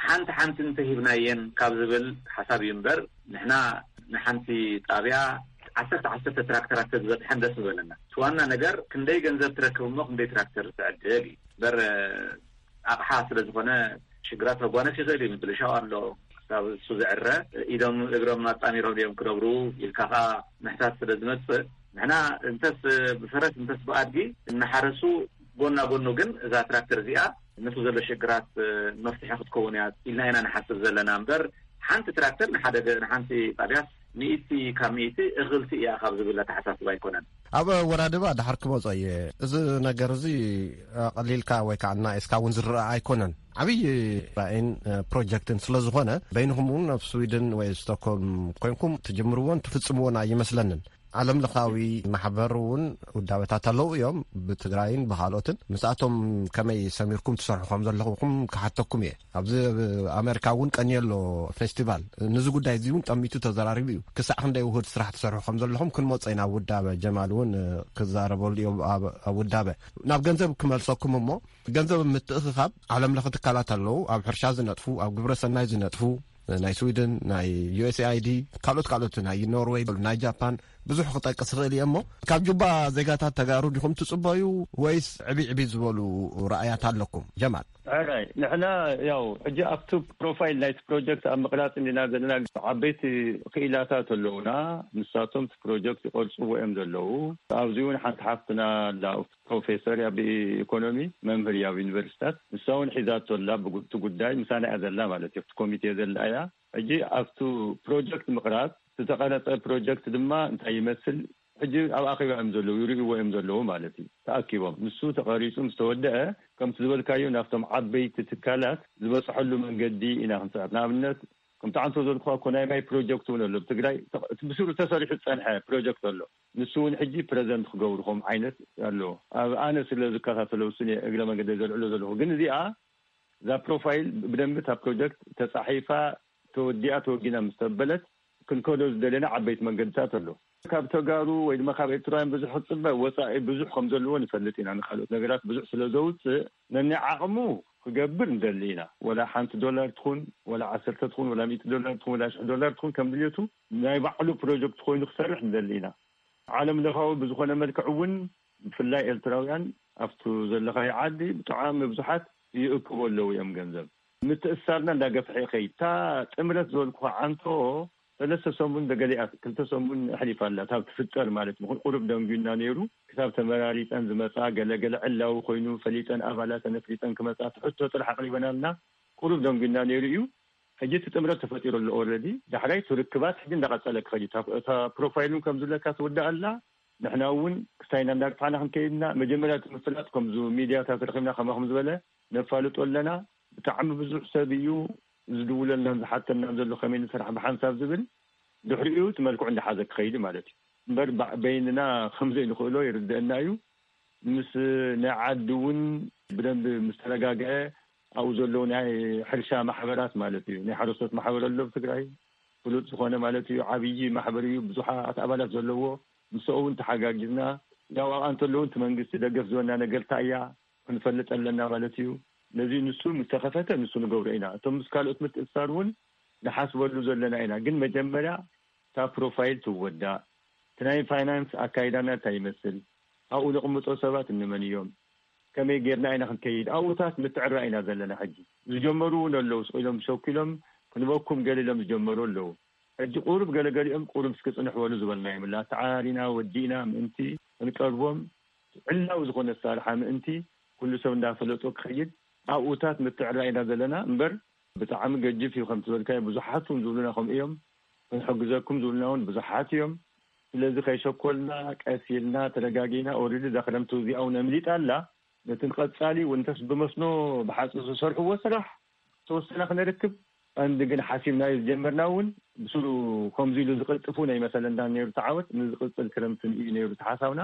ሓንቲ ሓንቲ እንተሂብናየን ካብ ዝብል ሓሳብ እዩ እምበር ንሕና ንሓንቲ ጣብያ ዓሰርተ ዓሰርተ ትራክተራት ተዝበፅሐን ደስ ምበለና። እቲ ዋና ነገር ክንደይ ገንዘብ ትረክብ እሞ ክንደይ ትራክተር ትዕድግ እዩ እምበር ኣቕሓ ስለ ዝኾነ ሽግራት ከጓነፍ ይኽእል እዩ። ምብልሻው ኣሎ ክሳብ እሱ ዝዕረ ኢዶም እግሮም ኣጣሚሮም ድዮም ክነብሩ ኢልካ ከዓ ምሕታት ስለ ዝመፅእ ንሕና እንተስ ብፈረስ እንተስ ብኣድጊ እናሓረሱ ጎና ጎኑ ግን እዛ ትራክተር እዚኣ ነቲ ዘሎ ሽግራት መፍትሒ ክትከውን እያ ኢልና ኢና ንሓስብ ዘለና እምበር ሓንቲ ትራክተር ንሓንቲ ጣብያስ ሚእቲ ካብ ሚእቲ እኽልቲ እያ ካብ ዝብል ኣተሓሳስባ ኣይኮነን። ኣብ ወራድባ ድሓር ክመጾ እየ። እዚ ነገር እዚ ኣቐሊልካ ወይ ከዓ እናኤስካ እውን ዝረኣ ኣይኮነን። ዓብዪ ራእይን ፕሮጀክትን ስለ ዝኾነ በይንኹም እውን ኣብ ስዊድን ወይ ስቶክሆልም ኮይንኩም ትጅምርዎን ትፍጽምዎን ኣይመስለንን። ዓለም ለኻዊ ማሕበር እውን ውዳበታት ኣለዉ እዮም ብትግራይን ብካልኦትን። ምስኣቶም ከመይ ሰሚርኩም ትሰርሑ ከም ዘለኹም ክሓተኩም እየ። ኣብዚ ኣሜሪካ እውን ቀንየሎ ፌስቲቫል ንዚ ጉዳይ እዚ እውን ጠሚቱ ተዘራሪቡ እዩ። ክሳዕ ክንደይ ውሁድ ስራሕ ትሰርሑ ከም ዘለኹም ክንመጾ ኢና። ኣብ ውዳበ ጀማል እውን ክዛረበሉ እዩ። ኣብ ውዳበ ናብ ገንዘብ ክመልሰኩም እሞ ገንዘብ ምትእኽኻብ ዓለም ለኸ ትካላት ኣለዉ። ኣብ ሕርሻ ዝነጥፉ፣ ኣብ ግብረ ሰናይ ዝነጥፉ ናይ ስዊድን ናይ ዩ ኤስ ኤ ኣይ ዲ ካልኦት ካልኦት ናይ ኖርወይ ናይ ጃፓን ብዙሕ ክጠቅስ ይኽእል እየ እሞ ካብ ጁባ ዜጋታት ተጋሩ ዲኹም ትጽበዩ ወይስ ዕብይ ዕብይ ዝበሉ ረኣያት ኣለኩም? ጀማል። ሕራይ ንሕና ያው ሕጂ ኣብቲ ፕሮፋይል ናይቲ ፕሮጀክት ኣብ ምቕራፅ እንዲና ዘለና ዓበይቲ ክኢላታት ኣለውና። ንሳቶም እቲ ፕሮጀክት ይቐርፅዎ እዮም ዘለዉ። ኣብዚ እውን ሓንቲ ሓፍትና ኣላ ፕሮፌሰር እያ ብኢኮኖሚ መምህር እያ ኣብ ዩኒቨርሲታት። ንሳ እውን ሒዛቶ ኣላ ብቲ ጉዳይ ምሳና እያ ዘላ ማለት እዩ። ኣብቲ ኮሚቴ ዘላ እያ። ሕጂ ኣብቲ ፕሮጀክት ምቕራፅ ዝተቐረፀ ፕሮጀክት ድማ እንታይ ይመስል ሕጂ ኣብ ኣኼባ እዮም ዘለዉ ይርእይዎ እዮም ዘለዉ ማለት እዩ። ተኣኪቦም ንሱ ተቐሪፁ ምስ ተወደአ ከምቲ ዝበልካዮ ናብቶም ዓበይቲ ትካላት ዝበፅሐሉ መንገዲ ኢና ክንፅዕት። ንኣብነት ከምቲ ዓንቶ ዘልኩኻ እኮ ናይ ማይ ፕሮጀክት እውን ኣሎ ብትግራይ እቲ ብስሩ ተሰሪሑ ዝፀንሐ ፕሮጀክት ኣሎ። ንሱ እውን ሕጂ ፕረዘንት ክገብሩ ከም ዓይነት ኣሎ። ኣብ ኣነ ስለ ዝከታተሎ ውስን እየ እግረ መንገዲ ዘልዕሎ ዘለኹ። ግን እዚኣ እዛ ፕሮፋይል ብደንቢ እታ ፕሮጀክት ተፃሒፋ ተወዲኣ ተወጊና ምስ ተበለት ክንከዶ ዝደለና ዓበይቲ መንገድታት ኣሎ። ካብ ተጋሩ ወይ ድማ ካብ ኤርትራውያን ብዙሕ ክፅበ ወፃኢ ብዙሕ ከም ዘለዎ ንፈልጥ ኢና። ንካልኦት ነገራት ብዙሕ ስለ ዘውፅእ ነናይ ዓቕሙ ክገብር ንደሊ ኢና። ወላ ሓንቲ ዶላር ትኹን ወላ ዓሰርተ ትኹን ወላ ሚእቲ ዶላር ትኹን ወላ ሽሕ ዶላር ትኹን ከም ድልየቱ ናይ ባዕሉ ፕሮጀክት ኮይኑ ክሰርሕ ንደሊ ኢና። ዓለም ለኻዊ ብዝኾነ መልክዕ እውን ብፍላይ ኤርትራውያን ኣብቱ ዘለኻዮ ዓዲ ብጣዕሚ ብዙሓት ይእክቦ ኣለዉ እዮም ገንዘብ። ምትእስሳርና እንዳገፍሐ ይኸይድ። እታ ጥምረት ዝበልኩኻ ዓንቶ ሰለስተ ሰሙን ደገሊኣ ክልተ ሰሙን ኣሕሊፋ ኣላ። ካብ ትፍጠር ማለት ምኹን ቁሩብ ደንጉና ነይሩ። ክሳብ ተመራሪፀን ዝመፃ ገለገለ ዕላዊ ኮይኑ ፈሊጠን ኣባላተን ኣፍሊጠን ክመፃ ትሕቶ ጥራሕ ኣቕሪበናልና ቁሩብ ደንጉና ነይሩ እዩ። ሕጂ እቲ ጥምረት ተፈጢሩ ኣሎ ኦረዲ። ዳሕራይ እቲ ርክባት ሕጂ እንዳቐፀለ ክኸድ እዩ። እታ ፕሮፋይል እውን ከም ዝብለካ ትውዳእ ኣላ። ንሕና እውን ክሳይና እንዳግፋዕና ክንከይድና መጀመርያ እቲ ምፍላጥ ከምዚ ሚድያታት ረኺብና ከማኹም ዝበለ ነፋልጦ ኣለና። ብጣዕሚ ብዙሕ ሰብ እዩ ዝድውለልናን ዝሓተናን ዘሎ ከመይ ንስራሕ ብሓንሳብ ዝብል ድሕሪኡ እቲ መልክዑ እንዳሓዘ ክኸይድ ማለት እዩ። እምበር በይንና ከምዘይንኽእሎ ይርደአና እዩ። ምስ ናይ ዓዲ እውን ብደንቢ ምስ ተረጋግዐ ኣብኡ ዘለዉ ናይ ሕርሻ ማሕበራት ማለት እዩ። ናይ ሓረስቶት ማሕበር ኣሎ ኣብ ትግራይ ፍሉጥ ዝኾነ ማለት እዩ። ዓብዪ ማሕበር እዩ፣ ብዙሓት ኣባላት ዘለዎ። ምስኡ እውን ተሓጋጊዝና ያው ኣብኣ እንተለዉ እቲ መንግስቲ ደገፍ ዝበና ነገር እንታይ እያ ክንፈልጥ ኣለና ማለት እዩ። ነዚ ንሱ ምስ ተኸፈተ ንሱ ንገብሮ ኢና። እቶም ምስ ካልኦት ምትእስሳር እውን ንሓስበሉ ዘለና ኢና። ግን መጀመርያ እታ ፕሮፋይል ትወዳእ፣ እቲ ናይ ፋይናንስ ኣካይዳና እንታይ ይመስል፣ ኣብኡ ንቕምጦ ሰባት እንመን እዮም፣ ከመይ ጌርና ኢና ክንከይድ፣ ኣብኡታት ምትዕራ ኢና ዘለና። ሕጂ ዝጀመሩ እውን ኣለዉ፣ ስቕ ኢሎም ሸኪሎም ክንበኩም ገለ ኢሎም ዝጀመሩ ኣለዉ። ሕጂ ቁሩብ ገለገሊኦም ቁሩብ እስኪ ጽንሕበሉ ዝበልናዮም ኣላ። ተዓራሪና ወዲእና ምእንቲ ክንቀርቦም ዕላዊ ዝኾነ ኣሰራርሓ ምእንቲ ኩሉ ሰብ እንዳፈለጦ ክኸይድ ኣብኡታት ምትዕራ ኢና ዘለና እምበር፣ ብጣዕሚ ገጅፍ እዩ። ከም ዝበልካዮ ብዙሓት እውን ዝብሉና ከምኡ እዮም። ክንሕግዘኩም ዝብሉና እውን ብዙሓት እዮም። ስለዚ ከይሸኮልና ቀስ ኢልና ተረጋጊና፣ ኦልሬዲ እዛ ክረምቲ እዚኣ እውን ኣምሊጣ ኣላ። ነቲ ንቐጻሊ እውን እንተስ ብመስኖ ብሓፁር ዝሰርሕዎ ስራሕ ተወሰነ ክነርክብ፣ ቀንዲ ግን ሓሲብናዮ ዝጀመርና እውን ብስሩ ከምዚ ኢሉ ዝቕልጥፉ ናይ መሰለ እንዳ ነይሩ ተዓወት ንዝቕጽል ክረምቲ እዩ ነይሩ ተሓሳብና።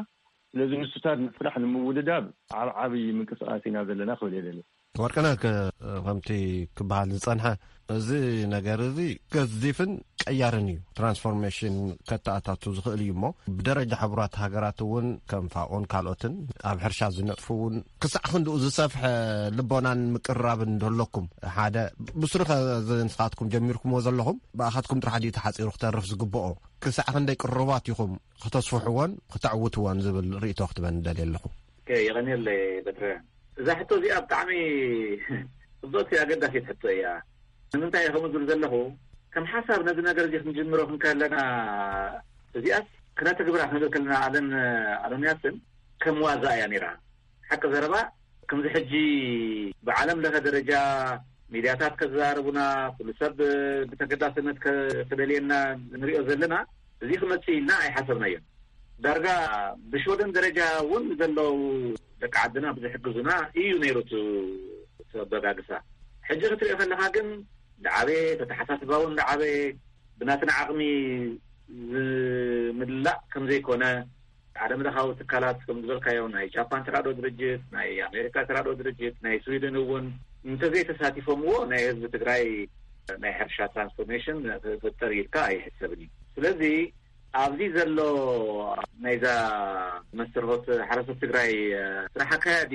ስለዚ ንሱታት ንስራሕ ንምውድዳብ ኣብ ዓብዪ ምንቅስቃስ ኢና ዘለና ክብል የደሊ። ወርቅነህ፣ ከ- ከምቲ ክበሃል ዝጸንሐ፣ እዚ ነገር እዚ ገዚፍን ቀያርን እዩ። ትራንስፎርሜሽን ከተኣታቱ ዝኽእል እዩ እሞ፣ ብደረጃ ሕቡራት ሃገራት እውን ከም ፋኦን ካልኦትን ኣብ ሕርሻ ዝነጥፉ እውን ክሳዕ ክንድኡ ዝሰፍሐ ልቦናን ምቅርራብን እንደለኩም፣ ሓደ ብስሩ ከ ንስኻትኩም ጀሚርኩምዎ ዘለኹም ብኣኻትኩም ጥራሕ ድዩ ተሓፂሩ ክተርፍ ዝግብኦ? ክሳዕ ክንደይ ቅሩባት ኢኹም ክተስፍሕዎን ክተዕውትዎን ዝብል ርእይቶ ክትበን ደልየ ኣለኹ። ኦኬ፣ የቐንየለይ በትረ። እዛ ሕቶ እዚኣ ብጣዕሚ ጽብቕቲ ኣገዳሲት ሕቶ እያ። ንምንታይ እየ ከምኡ ዝብል ዘለኹ? ከም ሓሳብ ነዚ ነገር እዚ ክንጅምሮ ክንከለና፣ እዚኣስ ክነተግብራ ክንብል ከለና፣ ኣለን ኣሎንያስን ከም ዋዛ እያ ነይራ። ሓቂ ዘረባ፣ ከምዚ ሕጂ ብዓለም ለኸ ደረጃ ሚድያታት ከዘራርቡና፣ ኩሉ ሰብ ብተገዳስነት ከ- ክደልየና ንሪኦ ዘለና፣ እዚ ክመጽእ ኢልና ኣይሓሰብናዮን። ዳርጋ ብሽወደን ደረጃ እውን ዘለዉ ደቂ ዓድና ብዝሕግዙና እዩ ነይሩ እቲ እቲ ኣበጋግሳ። ሕጂ ክትሪኦ ከለኻ ግን፣ ዳዓበየ ተተሓሳስባ እውን ዳዓበየ፣ ብናትና ዓቕሚ ዝምላእ ከም ዘይኮነ፣ ዓለም ለኻዊ ትካላት ከም ዝበልካዮ፣ ናይ ጃፓን ተራድኦ ድርጅት፣ ናይ ኣሜሪካ ተራድኦ ድርጅት፣ ናይ ስዊድን እውን እንተዘይተሳቲፎምዎ፣ ናይ ህዝቢ ትግራይ ናይ ሕርሻ ትራንስፎርሜሽን ክፍጠር ኢልካ ኣይሕሰብን እዩ። ስለዚ ኣብዚ ዘሎ ናይዛ መስተርሆት ሓረስቶት ትግራይ ስራሕ ኣካያዲ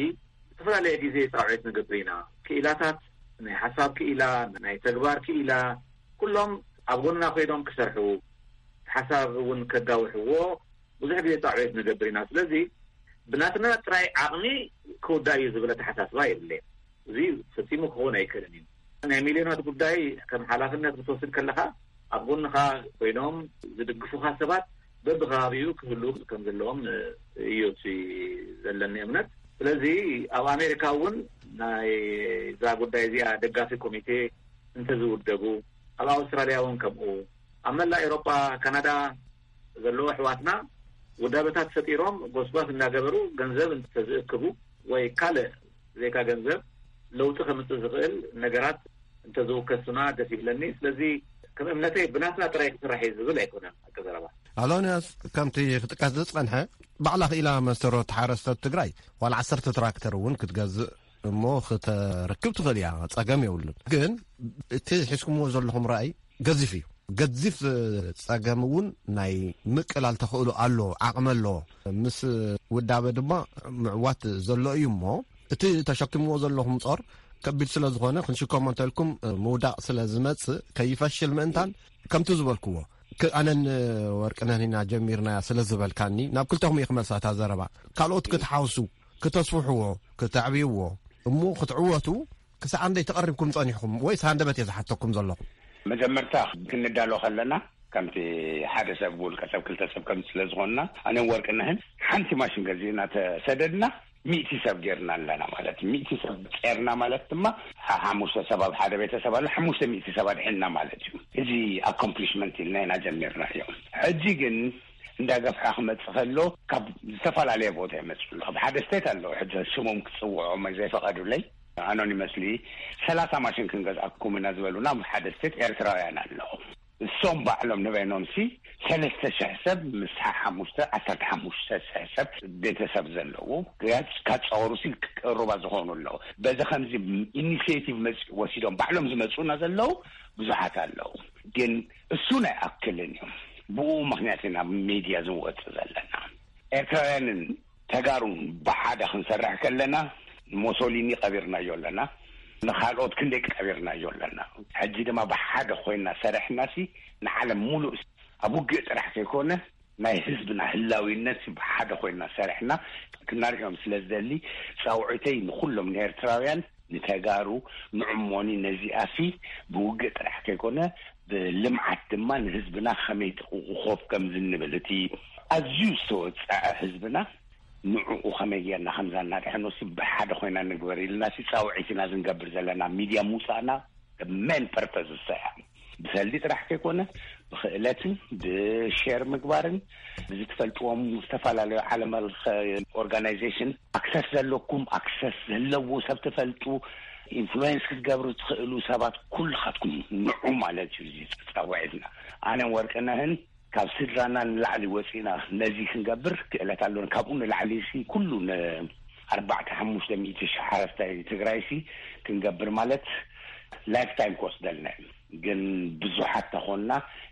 ዝተፈላለየ ግዜ ፃውዒት ንገብር ኢና። ክኢላታት፣ ናይ ሓሳብ ክኢላ፣ ናይ ተግባር ክኢላ፣ ኩሎም ኣብ ጎንና ኮይኖም ክሰርሑ፣ ሓሳብ እውን ከጋውሕዎ ብዙሕ ግዜ ፃውዒት ንገብር ኢና። ስለዚ ብናትና ጥራይ ዓቕሚ ክውዳእ እዩ ዝብል ኣተሓሳስባ የብለይን። እዚ ፈጺሙ ክኸውን ኣይክእልን እዩ። ናይ ሚልዮናት ጉዳይ ከም ሓላፍነት ክትወስድ ከለኻ፣ ኣብ ጎንኻ ኮይኖም ዝድግፉኻ ሰባት በብከባቢኡ ክህሉ ከም ዘለዎም እዩ እቲ ዘለኒ እምነት። ስለዚ ኣብ ኣሜሪካ እውን ናይ እዛ ጉዳይ እዚኣ ደጋፊ ኮሚቴ እንተዝውደቡ፣ ኣብ ኣውስትራልያ እውን ከምኡ፣ ኣብ መላእ ኤውሮጳ፣ ካናዳ ዘለዉ ኣሕዋትና ውዳበታት ፈጢሮም ጎስጓስ እናገበሩ ገንዘብ እንተዝእክቡ ወይ ካልእ ዘይካ ገንዘብ ለውጢ ከምጽእ ዝኽእል ነገራት እንተዝውከሱና ደስ ይብለኒ። ስለዚ ከም እምነተይ ብናትና ጥራይ ክስራሕ እዩ ዝብል ኣይኮነን። ኣቀዘረባ ኣሎንያስ፣ ከምቲ ክጥቀስ ዝጸንሐ፣ ባዕላ ክኢላ መስተርሆት ሓረስቶት ትግራይ ዋላ ዓሰርተ ትራክተር እውን ክትገዝእ እሞ ክተርክብ ትኽእል እያ፣ ጸገም የብሉን። ግን እቲ ሒዝኩምዎ ዘለኹም ራእይ ገዚፍ እዩ። ገዚፍ ጸገም እውን ናይ ምቅላል ተኽእሎ ኣሎ፣ ዓቕሚ ኣሎ። ምስ ውዳበ ድማ ምዕዋት ዘሎ እዩ እሞ፣ እቲ ተሸኪምዎ ዘለኹም ጾር ከቢድ ስለ ዝኾነ፣ ክንሽከሞ እንተልኩም ምውዳቕ ስለ ዝመጽእ፣ ከይፈሽል ምእንታን፣ ከምቲ ዝበልክዎ፣ ክ- ኣነን ወርቅነህን ኢና ጀሚርናያ ስለ ዝበልካኒ፣ ናብ ክልተኹም እየ ክመልሳ እታ ዘረባ። ካልኦት ክትሓውሱ፣ ክተስፍሕዎ፣ ክተዕብይዎ፣ እሞ ክትዕወቱ ክሳዕ ኣንደይ ተቐሪብኩም ጸኒሕኩም? ወይስ ሃንደበት እየ ዝሓተኩም ዘለኹ? መጀመርታ ክንዳሎ ከለና፣ ከምቲ ሓደ ሰብ፣ ውልቀ ሰብ፣ ክልተ ሰብ፣ ከም ስለ ዝኾንና፣ ኣነን ወርቅነህን ሓንቲ ማሽን ገዚእና ተሰደድና፣ ሚእቲ ሰብ ጌርና ኣለና ማለት እዩ። ሚእቲ ሰብ ጸርና ማለት ድማ፣ ሓ- ሓሙሽተ ሰብ ኣብ ሓደ ቤተሰብ ኣሎ፣ ሓሙሽተ ሚእቲ ሰብ ኣድሒንና ማለት እዩ። እዚ ኣኮምፕሊሽመንት ኢልና ኢና ጀሚርናዮ። ሕጂ ግን እንዳገፍሐ ክመጽእ ከሎ፣ ካብ ዝተፈላለየ ቦታ ይመጽኡ ኣለዉ። ካብ ሓደ ስቴት ኣለዉ፣ ሕጂ ሽሞም ክጽውዖም ዘይፈቐዱለይ፣ ኣኖኒመስሊ፣ ሰላሳ ማሽን ክንገዝኣኩም ኢና ዝበሉና፣ ኣብ ሓደ ስቴት ኤርትራውያን ኣለዉ። እሶም ባዕሎም ንበይኖምሲ፣ ሰለስተ ሽሕ ሰብ፣ ምስ ሓሙሽተ፣ ዓሰርተ ሓሙሽተ ሽሕ ሰብ ቤተሰብ ዘለዉ፣ ገጽ ካጻወሩሲ ቅሩባ ዝኾኑ ኣለዉ። በዚ ከምዚ ኢኒሽቲቭ መጽ-፣ ወሲዶም ባዕሎም ዝመጹና ዘለዉ ብዙሓት ኣለዉ። ግን እሱ ናይ ኣክልን እዩ። ብኡ ምኽንያት ኢና ኣብ ሚድያ ዝንወጽእ ዘለና። ኤርትራውያንን ተጋሩን ብሓደ ክንሰርሕ ከለና፣ ሞሶሊኒ ቀቢርናዮ ኣለና፣ ንኻልኦት ክንደይ ቀቢርናዮ ኣለና። ሕጂ ድማ ብሓደ ኮይና ሰሪሕናሲ ንዓለም ሙሉእ ኣብ ውግእ ጥራሕ ከይኮነ ናይ ህዝብና ህላዊነት ብሓደ ኮይና ሰሪሕና ክናርዮም ስለ ዝደሊ ፃውዒተይ ንኩሎም ንኤርትራውያን ንተጋሩ ንዕሞኒ ነዚኣሲ ብውግእ ጥራሕ ከይኮነ ብልምዓት ድማ ንህዝብና ከመይ ጥቕቑ ኮፍ ከም ዝንብል እቲ ኣዝዩ ዝተወፀዐ ህዝብና ንዕኡ ከመይ ጌርና ከምዛ እናድሕኖ ሲ ብሓደ ኮይና ንግበር ኢልና ሲ ፃውዒትና ዝንገብር ዘለና ሚድያ ምውፃእና ሜን ፐርፐዝ እሳ እያ። ብሰልዲ ጥራሕ ከይኮነ ብክእለትን ብሼር ምግባርን ብዝትፈልጥዎም ዝተፈላለዩ ዓለም ለኸ ኦርጋናይዜሽን ኣክሰስ ዘለኩም ኣክሰስ ዘለዎ ሰብ ትፈልጡ ኢንፍሉዌንስ ክትገብሩ ትኽእሉ ሰባት ኩልኻትኩም ንዑ ማለት እዩ። እዚ ፃውዒትና ኣነን ወርቅነህን ካብ ስድራና ንላዕሊ ወፂና ነዚ ክንገብር ክእለት ኣሎን ካብኡ ንላዕሊ ሲ ኩሉ ንኣርባዕተ ሓሙሽተ ሚእቲ ሽሕ ሓረስታይ ትግራይ ሲ ክንገብር ማለት ላይፍ ታይም ክወስደልና እዩ። ግን ብዙሓት ተኾንና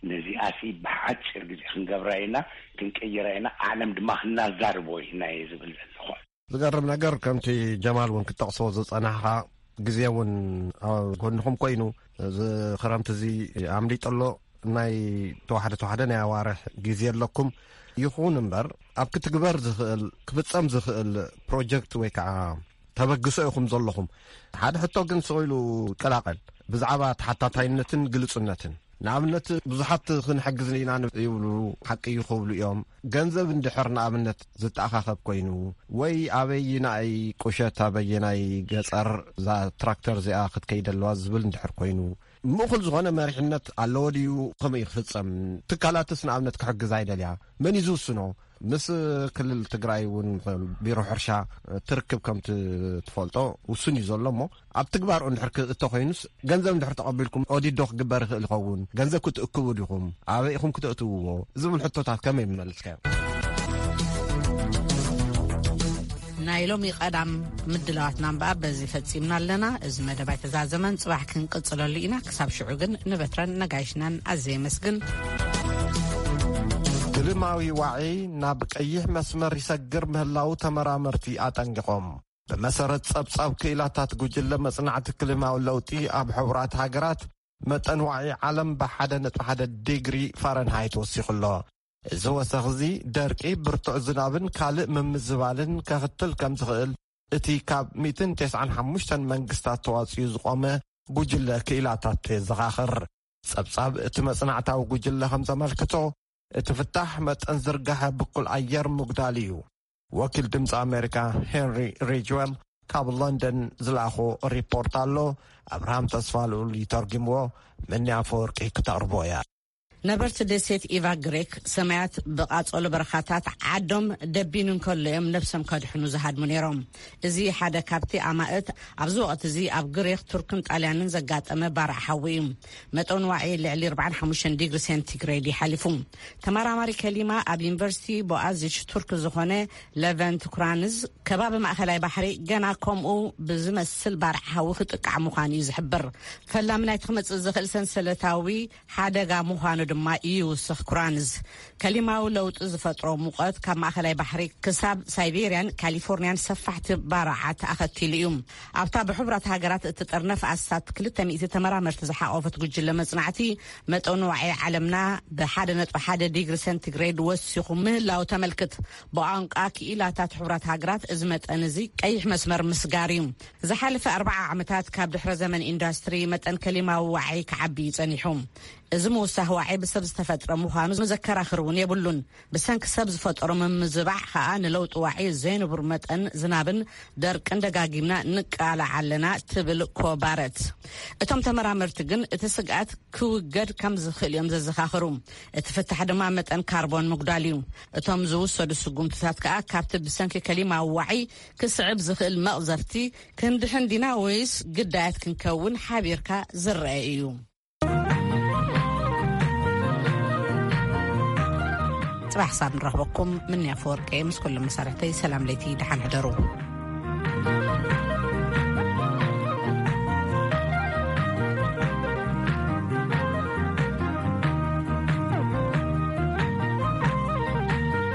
ነዚኣ ሲ ብሓጭር ግዜ ክንገብራ ኢና፣ ክንቀይራ ኢና፣ ዓለም ድማ ክናዛርቦ ኢና እየ ዝብል ዘለኹ። ዝገርም ነገር ከምቲ ጀማል እውን ክጠቕሶ ዝፀናሕኻ ግዜ እውን ኣብ ጎንኹም ኮይኑ እዚ ክረምቲ እዚ ኣምሊጡ ኣሎ። ናይ ተዋሕደ ተዋሕደ ናይ ኣዋርሕ ግዜ ኣለኩም። ይኹን እምበር ኣብ ክትግበር ዝኽእል ክፍፀም ዝኽእል ፕሮጀክት ወይ ከዓ ተበግሶ ኢኹም ዘለኹም። ሓደ ሕቶ ግን ስቕ ኢሉ ይቀላቐል ብዛዕባ ተሓታታይነትን ግልፁነትን። ንኣብነት ብዙሓት ክንሕግዝ ኢና ይብሉ፣ ሓቂ እዩ ክብሉ እዮም። ገንዘብ እንድሕር ንኣብነት ዝተኣኻኸብ ኮይኑ ወይ ኣበይናይ ቁሸት ኣበየናይ ገፀር እዛ ትራክተር እዚኣ ክትከይድ ኣለዋ ዝብል እንድሕር ኮይኑ ምእኹል ዝኾነ መሪሕነት ኣለዎ ድዩ? ከመይ ክፍፀም? ትካላትስ ንኣብነት ክሕግዝ ኣይደልያ መን እዩ ዝውስኖ? ምስ ክልል ትግራይ እውን ቢሮ ሕርሻ ትርክብ ከም ትፈልጦ ውሱን እዩ ዘሎ እሞ ኣብ ትግባር እንድሕር ክእቶ ኮይኑስ ገንዘብ እንድሕር ተቐቢልኩም ኦዲት ዶ ክግበር ይኽእል ይኸውን? ገንዘብ ክትእክቡ ዲኹም? ኣበይ ኢኹም ክተእትውዎ? ዝብል ሕቶታት ከመይ ምመለስካዮ? ናይ ሎሚ ቀዳም ምድላዋትና እምበኣር በዚ ፈጺምና ኣለና። እዚ መደብ ኣይተዛዘመን፣ ጽባሕ ክንቅጽለሉ ኢና። ክሳብ ሽዑ ግን ንበትረን ነጋይሽናን ኣዘ የመስግን። ክልማዊ ዋዒ ናብ ቀይሕ መስመር ይሰግር ምህላው ተመራመርቲ ኣጠንቂቖም። ብመሰረት ጸብጻብ ክኢላታት ጉጅለ መጽናዕቲ ክልማዊ ለውጢ ኣብ ሕቡራት ሃገራት መጠን ዋዒ ዓለም ብሓደ ነጥቢ ሓደ ዲግሪ ፋረንሃይት ወሲኹ ኣሎ። እዚ ወሰኽ እዚ ደርቂ፣ ብርቱዕ ዝናብን ካልእ ምምዝባልን ከኽትል ከም ዝኽእል እቲ ካብ ሚእትን ተስዓን ሓሙሽተን መንግስታት ተዋጽኡ ዝቖመ ጉጅለ ክኢላታት የዘኻኽር። ጸብጻብ እቲ መጽናዕታዊ ጉጅለ ከም ዘመልክቶ እቲ ፍታሕ መጠን ዝርጋሐ ብኩል ኣየር ምጉዳል እዩ። ወኪል ድምፂ ኣሜሪካ ሄንሪ ሪጅዌል ካብ ሎንደን ዝለኣኾ ሪፖርት ኣሎ። ኣብርሃም ተስፋ ልኡል ይተርጉምዎ። መኒ ኣፈወርቂ ክተቕርቦ እያ። ነበርቲ ደሴት ኢቫ ግሪክ ሰማያት ብቓጸሎ በረኻታት ዓዶም ደቢኑ እንከሎ እዮም ነብሶም ከድሕኑ ዝሃድሙ ነይሮም። እዚ ሓደ ካብቲ ኣማእት ኣብዚ ወቕቲ እዚ ኣብ ግሪክ፣ ቱርክን ጣልያንን ዘጋጠመ ባርዕ ሓዊ እዩ። መጠን ዋዒ ልዕሊ ኣርባዓን ሓሙሽተን ዲግሪ ሴንቲግሬድ ይሓሊፉ። ተመራማሪ ከሊማ ኣብ ዩኒቨርሲቲ ቦኣዚች ቱርክ ዝኾነ ለቨንት ኩራንዝ፣ ከባቢ ማእኸላይ ባሕሪ ገና ከምኡ ብዝመስል ባርዕ ሓዊ ክጥቃዕ ምዃኑ እዩ ዝሕብር። ፈላሚ ናይቲ ክመጽእ ዝኽእል ሰንሰለታዊ ሓደጋ ምዃኑ ድማ ይውስኽ ኩራንዝ። ከሊማዊ ለውጢ ዝፈጥሮ ሙቐት ካብ ማእኸላይ ባሕሪ ክሳብ ሳይቤርያን ካሊፎርንያን ሰፋሕቲ ባርዓት ኣኸቲሉ እዩ። ኣብታ ብሕቡራት ሃገራት እትጥርነፍ ኣስታት ክልተ ሚእቲ ተመራመርቲ ዝሓቖፈት ጉጅለ መጽናዕቲ፣ መጠን ዋዒ ዓለምና ብሓደ ነጥቢ ሓደ ዲግሪ ሴንቲግሬድ ወሲኹ ምህላው ተመልክት። ብቋንቋ ክኢላታት ሕቡራት ሃገራት እዚ መጠን እዚ ቀይሕ መስመር ምስጋር እዩ። ዝሓለፈ ኣርባዓ ዓመታት ካብ ድሕረ ዘመን ኢንዳስትሪ መጠን ከሊማዊ ዋዒ ክዓቢ እዩ ጸኒሑ። እዚ ምውሳኽ ዋዒ ብሰብ ዝተፈጥረ ምዃኑ ዘከራኽር እውን የብሉን። ብሰንኪ ሰብ ዝፈጠሮ ምምዝባዕ ከኣ ንለውጢ ዋዒ ዘይንቡር መጠን ዝናብን ደርቅን ደጋጊምና ንቃላዕ ኣለና ትብል ኮባረት። እቶም ተመራመርቲ ግን እቲ ስግኣት ክውገድ ከም ዝኽእል እዮም ዘዘኻኽሩ። እቲ ፍታሕ ድማ መጠን ካርቦን ምጉዳል እዩ። እቶም ዝውሰዱ ስጉምትታት ከኣ ካብቲ ብሰንኪ ከሊማዊ ዋዒ ክስዕብ ዝኽእል መቕዘፍቲ ክንድሕን ዲና ወይስ ግዳያት ክንከውን ሓቢርካ ዝረአ እዩ። ጽባሕ ሳብ ንረኽበኩም። ምንያ ፈወርቂ ምስ ኩሎም መሳርሕተይ ሰላም ለይቲ፣ ደሓን ሕደሩ።